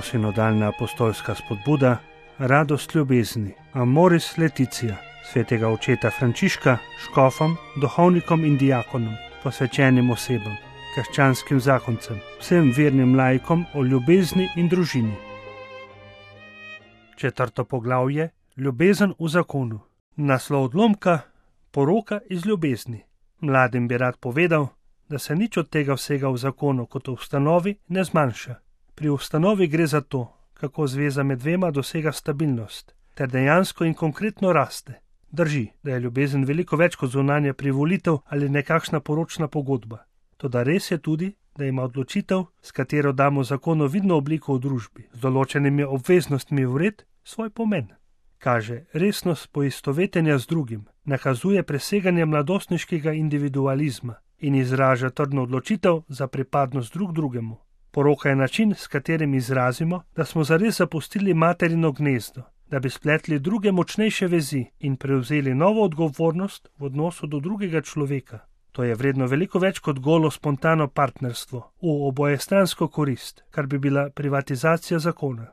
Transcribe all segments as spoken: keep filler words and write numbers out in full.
novosinodalna apostolska spodbuda, radost ljubezni, Amoris Laetitia, svetega očeta Frančiška, škofom, duhovnikom in diakonom, posvečenim osebam, krščanskim zakoncem, vsem vernim laikom o ljubezni in družini. Četrto poglavje, ljubezen v zakonu. Naslov odlomka, poroka iz ljubezni. Mladim bi rad povedal, da se nič od tega vsega v zakonu kot v ustanovi ne zmanjša. Pri ustanovi gre za to, kako zveza med dvema dosega stabilnost, ter dejansko in konkretno raste. Drži, da je ljubezen veliko več kot zunanja privolitev ali nekakšna poročna pogodba. Toda res je tudi, da ima odločitev, s katero damo zakonu vidno obliko v družbi, z določenimi obveznostmi vred, svoj pomen. Kaže resnost poistovetenja z drugim, nakazuje preseganje mladostniškega individualizma in izraža trdno odločitev za pripadnost drug drugemu. Poroka je način, s katerim izrazimo, da smo zares zapustili materino gnezdo, da bi spletli druge močnejše vezi in prevzeli novo odgovornost v odnosu do drugega človeka. To je vredno veliko več kot golo spontano partnerstvo v obojestransko korist, kar bi bila privatizacija zakona.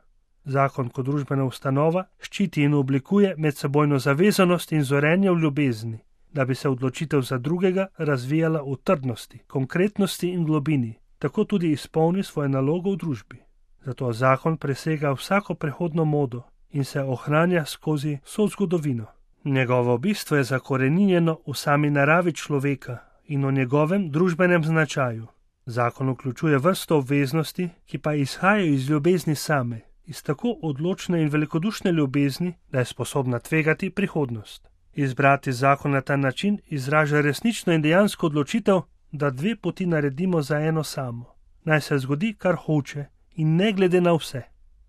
Zakon kot družbena ustanova ščiti in oblikuje medsebojno zavezanost in zorenje v ljubezni, da bi se odločitev za drugega razvijala v trdnosti, konkretnosti in globini, tako tudi izpolni svoje nalogo v družbi. Zato zakon presega vsako prehodno modo in se ohranja skozi vso zgodovino. Njegovo bistvo je zakoreninjeno v sami naravi človeka in o njegovem družbenem značaju. Zakon vključuje vrsto obveznosti, ki pa izhajajo iz ljubezni same, iz tako odločne in velikodušne ljubezni, da je sposobna tvegati prihodnost. Izbrati zakon na ta način izraža resnično in dejansko odločitev, da dve poti naredimo za eno samo. Naj se zgodi, kar hoče, in ne glede na vse.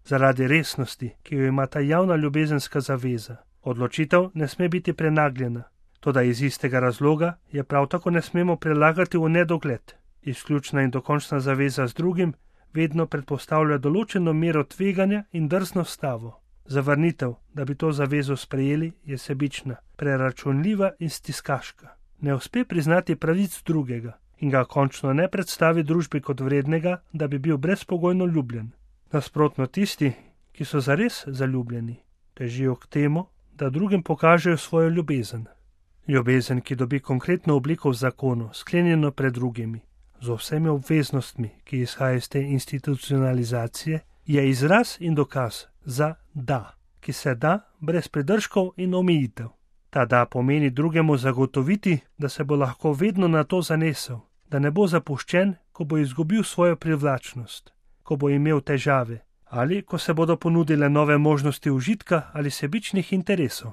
Zaradi resnosti, ki jo ima ta javna ljubezenska zaveza, odločitev ne sme biti prenagljena. Toda iz istega razloga je prav tako ne smemo prelagati v nedogled. Izključna in dokončna zaveza z drugim vedno predpostavlja določeno mero tveganja in drzno stavo. Zavrnitev, da bi to zavezo sprejeli, je sebična, preračunljiva in stiskaška. Ne uspe priznati pravic drugega in ga končno ne predstavi družbi kot vrednega, da bi bil brezpogojno ljubljen. Nasprotno tisti, ki so zares zaljubljeni, težijo k temu, da drugim pokažejo svojo ljubezen. Ljubezen, ki dobi konkretno obliko v zakonu, sklenjeno pred drugimi, z vsemi obveznostmi, ki izhaja iz te institucionalizacije, je izraz in dokaz za da, ki se da brez pridržkov in omejitev. Ta da pomeni drugemu zagotoviti, da se bo lahko vedno na to zanesel, da ne bo zapuščen, ko bo izgubil svojo privlačnost, ko bo imel težave ali ko se bodo ponudile nove možnosti užitka ali sebičnih interesov.